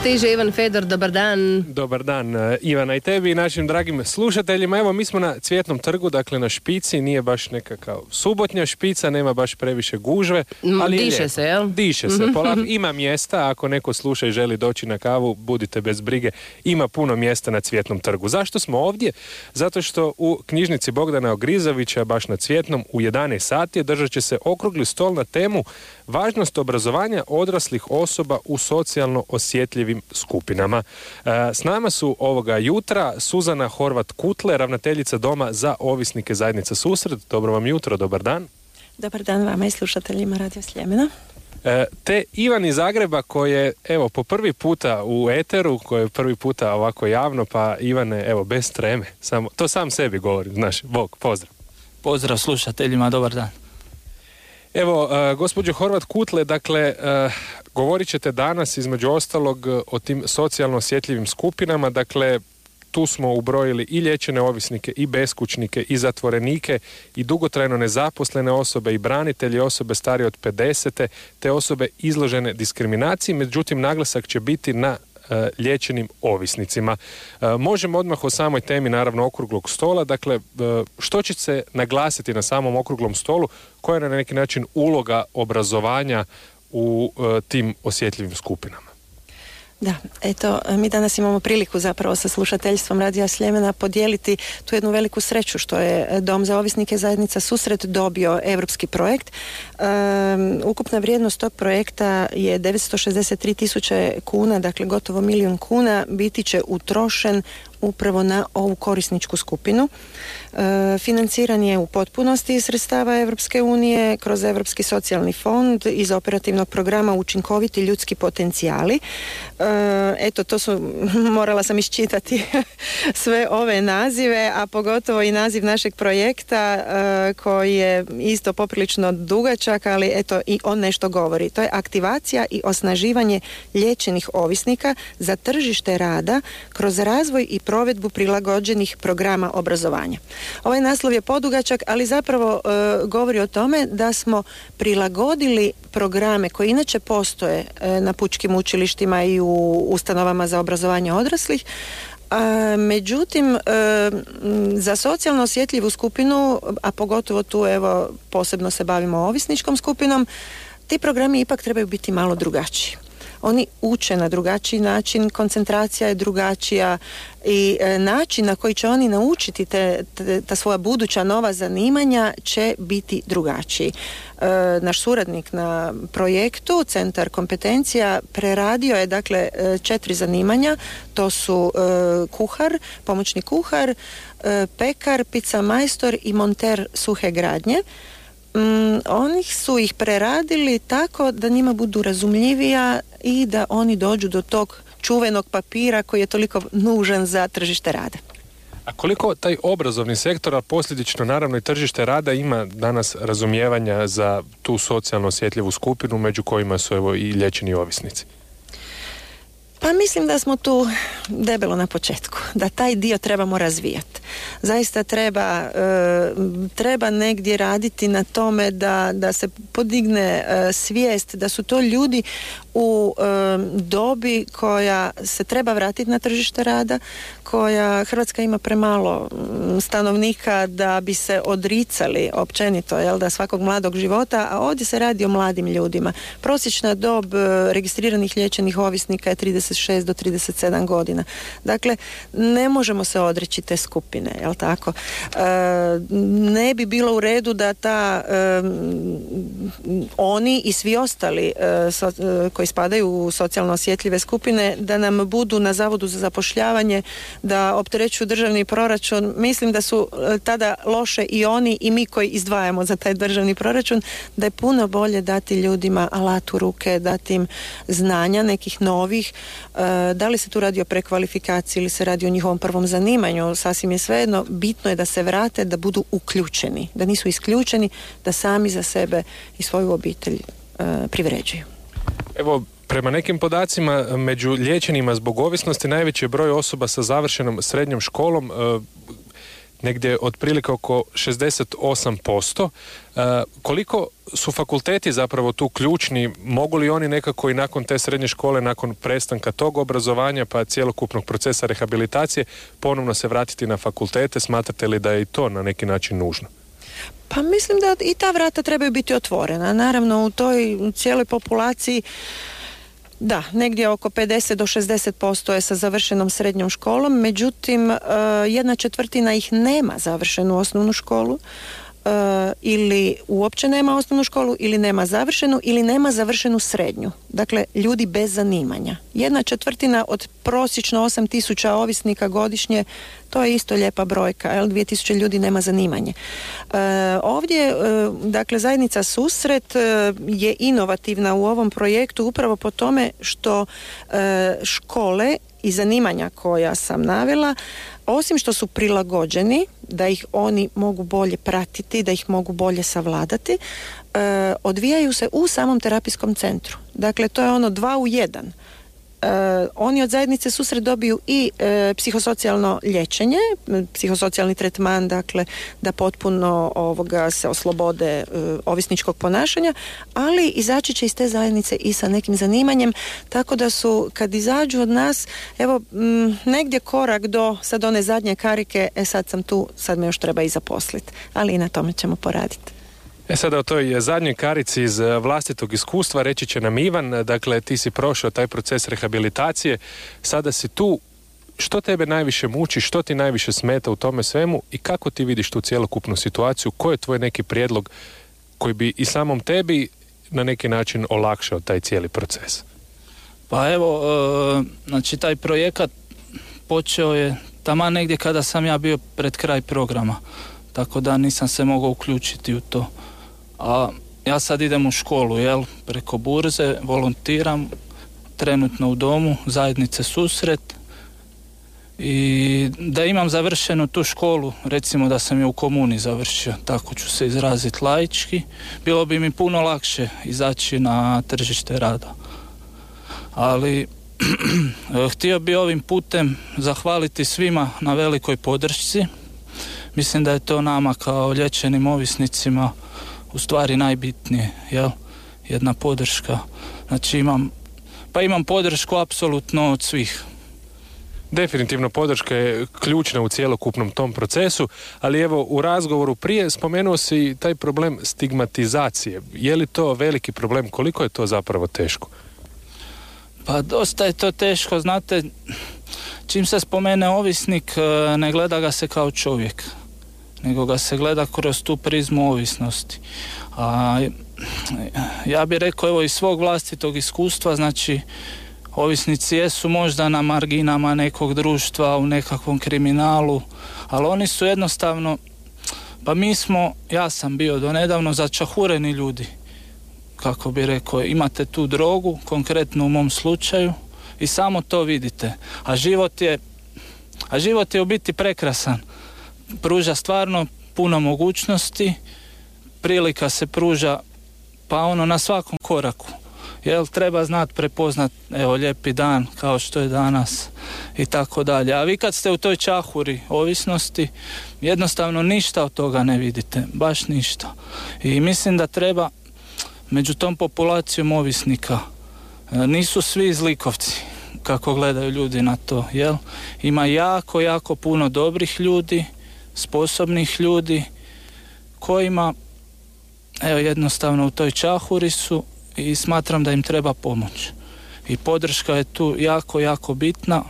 Stiže Ivan Fedor, dobar dan. Dobar dan Ivana i tebi i našim dragim slušateljima. Evo, mi smo na Cvjetnom trgu, dakle na špici, nije baš nekakav subotnja špica, nema baš previše gužve, ali diše se, jel? Diše se, polako. Ima mjesta, ako neko sluša i želi doći na kavu, budite bez brige, ima puno mjesta na Cvjetnom trgu. Zašto smo ovdje? Zato što u knjižnici Bogdana Ogrizovića, baš na Cvjetnom, u 11 sati održat će se okrugli stol na temu važnost obrazovanja odraslih osoba u socijalno osjetljivim skupinama. S nama su ovoga jutra Suzana Horvat-Kutle, ravnateljica Doma za ovisnike zajednice Susret. Dobro vam jutro, dobar dan. Dobar dan vama i slušateljima Radio Sljemena. Te Ivan iz Zagreba koji je, evo, po prvi puta u eteru, koji je prvi puta ovako javno, pa Ivane, evo, bez treme, to sam sebi govorim, znaš, Bog, pozdrav. Pozdrav slušateljima, dobar dan. Evo, gospođo Horvat-Kutle, dakle, govorit ćete danas između ostalog o tim socijalno osjetljivim skupinama, dakle, tu smo ubrojili i liječene ovisnike, i beskućnike, i zatvorenike, i dugotrajno nezaposlene osobe, i branitelji, osobe starije od 50, te osobe izložene diskriminaciji, međutim, naglasak će biti na liječenim ovisnicima. Možemo odmah o samoj temi, naravno, okruglog stola. Dakle, što će se naglasiti na samom okruglom stolu? Koja je na neki način uloga obrazovanja u tim osjetljivim skupinama? Da, eto, mi danas imamo priliku zapravo sa slušateljstvom Radija Sljemena podijeliti tu jednu veliku sreću što je Dom za ovisnike zajednica Susret dobio europski projekt. Ukupna vrijednost tog projekta je 963.000 kuna, dakle gotovo 1 milijun kuna, biti će utrošen upravo na ovu korisničku skupinu. Financiran je u potpunosti iz sredstava Europske unije kroz Europski socijalni fond iz operativnog programa Učinkoviti ljudski potencijali. Eto, to su, morala sam iščitati sve ove nazive, a pogotovo i naziv našeg projekta koji je isto poprilično dugačak, ali eto i on nešto govori. To je aktivacija i osnaživanje liječenih ovisnika za tržište rada kroz razvoj i provedbu prilagođenih programa obrazovanja. Ovaj naslov je podugačak, ali zapravo govori o tome da smo prilagodili programe koji inače postoje na pučkim učilištima i u ustanovama za obrazovanje odraslih. Međutim, za socijalno osjetljivu skupinu, a pogotovo tu evo posebno se bavimo ovisničkom skupinom, ti programi ipak trebaju biti malo drugačiji. Oni uče na drugačiji način, koncentracija je drugačija i način na koji će oni naučiti ta svoja buduća nova zanimanja će biti drugačiji. Naš suradnik na projektu, Centar kompetencija, preradio je dakle 4 zanimanja, to su kuhar, pomoćni kuhar, pekar, pica majstor i monter suhe gradnje. Oni su ih preradili tako da njima budu razumljivija i da oni dođu do tog čuvenog papira koji je toliko nužan za tržište rada. A koliko taj obrazovni sektor, a posljedično naravno i tržište rada, ima danas razumijevanja za tu socijalno osjetljivu skupinu među kojima su evo i liječeni ovisnici? Pa mislim da smo tu debelo na početku, da taj dio trebamo razvijati. Zaista treba negdje raditi na tome da se podigne svijest da su to ljudi u dobi koja se treba vratiti na tržište rada, koja Hrvatska ima premalo stanovnika da bi se odricali općenito, jel, da svakog mladog života, a ovdje se radi o mladim ljudima. Prosječna dob registriranih liječenih ovisnika je 36 do 37 godina. Dakle, ne možemo se odreći te skupine, jel tako? Ne bi bilo u redu da oni i svi ostali koji spadaju u socijalno osjetljive skupine, da nam budu na Zavodu za zapošljavanje, da opterećuju državni proračun. Mislim da su tada loše i oni i mi koji izdvajamo za taj državni proračun, da je puno bolje dati ljudima alat u ruke, dati im znanja nekih novih. Da li se tu radi o prekvalifikaciji ili se radi o njihovom prvom zanimanju, sasvim je svejedno. Bitno je da se vrate, da budu uključeni, da nisu isključeni, da sami za sebe i svoju obitelj privređuju. Evo, prema nekim podacima, među liječenima zbog ovisnosti najveći je broj osoba sa završenom srednjom školom. negdje otprilike oko 68%. Koliko su fakulteti zapravo tu ključni? Mogu li oni nekako i nakon te srednje škole, nakon prestanka tog obrazovanja pa cjelokupnog procesa rehabilitacije ponovno se vratiti na fakultete? Smatrate li da je i to na neki način nužno? Pa mislim da i ta vrata trebaju biti otvorena. Naravno, u toj cijeloj populaciji da, negdje oko 50 do 60% je sa završenom srednjom školom, međutim 1/4 ih nema završenu osnovnu školu, ili uopće nema osnovnu školu, ili nema završenu, ili nema završenu srednju. Dakle, ljudi bez zanimanja. 1/4 od prosječno 8.000 ovisnika godišnje, to je isto lijepa brojka, 2.000 ljudi nema zanimanje. Ovdje, dakle, zajednica Susret je inovativna u ovom projektu upravo po tome što škole i zanimanja koja sam navela, osim što su prilagođeni, da ih oni mogu bolje pratiti, da ih mogu bolje savladati, odvijaju se u samom terapijskom centru. Dakle, to je ono 2 u 1. Oni od zajednice Susret dobiju i psihosocijalno liječenje, psihosocijalni tretman, dakle da potpuno se oslobode ovisničkog ponašanja, ali izaći će iz te zajednice i sa nekim zanimanjem, tako da su kad izađu od nas, evo negdje korak do sad one zadnje karike, sad sam tu, sad me još treba i zaposliti, ali i na tome ćemo poraditi. Sada o toj zadnjoj karici iz vlastitog iskustva reći će nam Ivan, dakle ti si prošao taj proces rehabilitacije, sada si tu, što tebe najviše muči, što ti najviše smeta u tome svemu i kako ti vidiš tu cjelokupnu situaciju, koji je tvoj neki prijedlog koji bi i samom tebi na neki način olakšao taj cijeli proces? Pa evo, znači taj projekat počeo je taman negdje kada sam ja bio pred kraj programa, tako da nisam se mogao uključiti u to. A ja sad idem u školu, preko burze, volontiram, trenutno u domu zajednice Susret, i da imam završenu tu školu, recimo da sam je u komuni završio, tako ću se izraziti laički, bilo bi mi puno lakše izaći na tržište rada. Ali htio bi ovim putem zahvaliti svima na velikoj podršci. Mislim da je to nama kao liječenim ovisnicima u stvari najbitnije, jedna podrška. Znači imam podršku apsolutno od svih. Definitivno podrška je ključna u cjelokupnom tom procesu, ali evo u razgovoru prije spomenuo si taj problem stigmatizacije. Je li to veliki problem? Koliko je to zapravo teško? Pa dosta je to teško, znate, čim se spomene ovisnik, ne gleda ga se kao čovjek, nego ga se gleda kroz tu prizmu ovisnosti. A ja bih rekao, evo iz svog vlastitog iskustva, znači ovisnici jesu možda na marginama nekog društva, u nekakvom kriminalu, ali oni su jednostavno, pa ja sam bio donedavno začahureni ljudi, kako bi rekao, imate tu drogu, konkretno u mom slučaju, i samo to vidite. A život je u biti prekrasan. Pruža stvarno puno mogućnosti, prilika se pruža pa na svakom koraku. Treba znati prepoznat, lijepi dan kao što je danas i tako dalje. A vi kad ste u toj čahuri ovisnosti, jednostavno ništa od toga ne vidite, baš ništa. I mislim da treba među tom populacijom ovisnika, nisu svi zlikovci kako gledaju ljudi na to, Ima jako, jako puno dobrih ljudi, sposobnih ljudi kojima jednostavno u toj čahuri su i smatram da im treba pomoć. I podrška je tu jako, jako bitna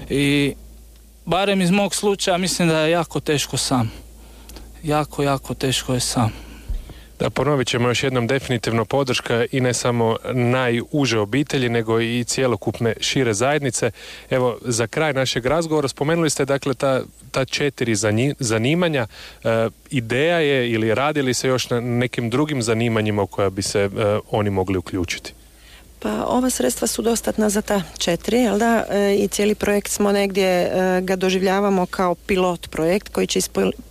i barem iz mog slučaja mislim da je jako teško sam. Jako, jako teško je sam. Da, ponovit ćemo još jednom, definitivno podrška i ne samo najuže obitelji, nego i cjelokupne šire zajednice. Evo, za kraj našeg razgovora spomenuli ste dakle ta 4 zanimanja. Ideja je ili radili se još na nekim drugim zanimanjima u koja bi se oni mogli uključiti? Pa ova sredstva su dostatna za ta 4, i cijeli projekt smo negdje ga doživljavamo kao pilot projekt koji će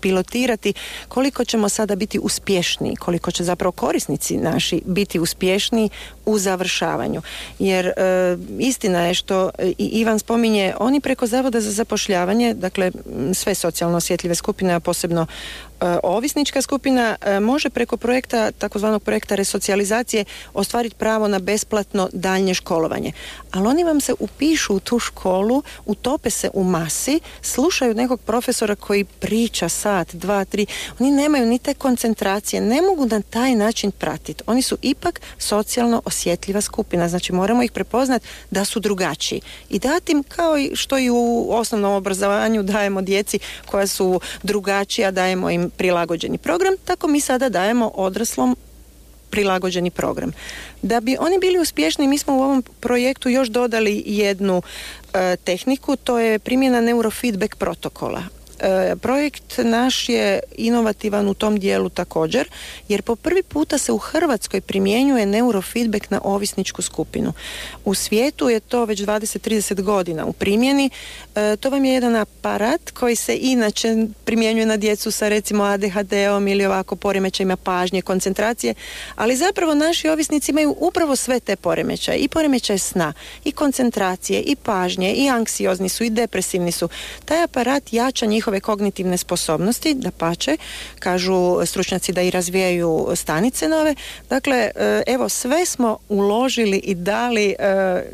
pilotirati koliko ćemo sada biti uspješniji, koliko će zapravo korisnici naši biti uspješniji u završavanju. Jer istina je što i Ivan spominje, oni preko Zavoda za zapošljavanje, dakle sve socijalno osjetljive skupine, a posebno ovisnička skupina, može preko projekta, takozvanog projekta resocijalizacije, ostvariti pravo na besplatno daljnje školovanje. Ali oni vam se upišu u tu školu, utope se u masi, slušaju nekog profesora koji priča sat, 2, 3, oni nemaju ni te koncentracije, ne mogu na taj način pratiti. Oni su ipak socijalno osjetljiva skupina, znači moramo ih prepoznati da su drugačiji i dati im, kao i što i u osnovnom obrazovanju dajemo djeci koja su drugačija, dajemo im prilagođeni program, tako mi sada dajemo odraslom prilagođeni program. Da bi oni bili uspješni, mi smo u ovom projektu još dodali jednu tehniku, to je primjena neurofeedback protokola. Projekt naš je inovativan u tom dijelu također, jer po prvi puta se u Hrvatskoj primjenjuje neurofeedback na ovisničku skupinu. U svijetu je to već 20-30 godina u primjeni. To vam je jedan aparat koji se inače primjenjuje na djecu sa recimo ADHD-om ili ovako poremećajima pažnje, koncentracije, ali zapravo naši ovisnici imaju upravo sve te poremećaje, i poremećaje sna, i koncentracije, i pažnje, i anksiozni su, i depresivni su. Taj aparat jača njihove kognitivne sposobnosti, dapače, kažu stručnjaci da i razvijaju stanice nove. Dakle, evo, sve smo uložili i dali,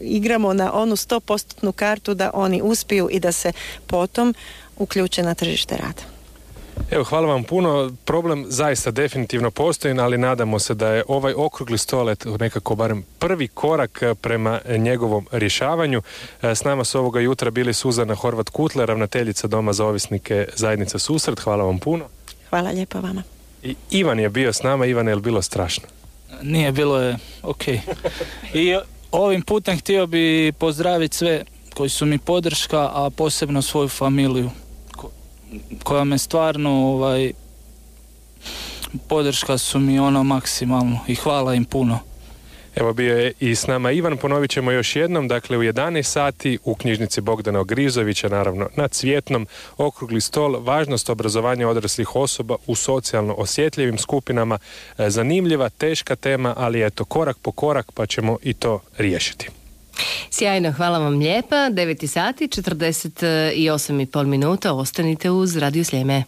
igramo na onu 100% kartu da oni uspiju i da se potom uključe na tržište rada. Evo, hvala vam puno. Problem zaista definitivno postoji, ali nadamo se da je ovaj okrugli stolet nekako barem prvi korak prema njegovom rješavanju. S nama su ovoga jutra bili Suzana Horvat-Kutle, ravnateljica Doma za ovisnike zajednica Susret. Hvala vam puno. Hvala lijepo vama. I Ivan je bio s nama. Ivan, je li bilo strašno? Nije, bilo je ok. I ovim putem htio bi pozdraviti sve koji su mi podrška, a posebno svoju familiju koja me stvarno podrška su mi maksimalno i hvala im puno. Evo, bio je i s nama Ivan, ponovit ćemo još jednom, dakle u 11 sati u knjižnici Bogdana Ogrizovića, naravno na Cvjetnom, okrugli stol, važnost obrazovanja odraslih osoba u socijalno osjetljivim skupinama. Zanimljiva, teška tema, ali eto, korak po korak pa ćemo i to riješiti. Sjajno, hvala vam lijepa. 9 sati, 48,5 minuta, ostanite uz Radio Sljeme.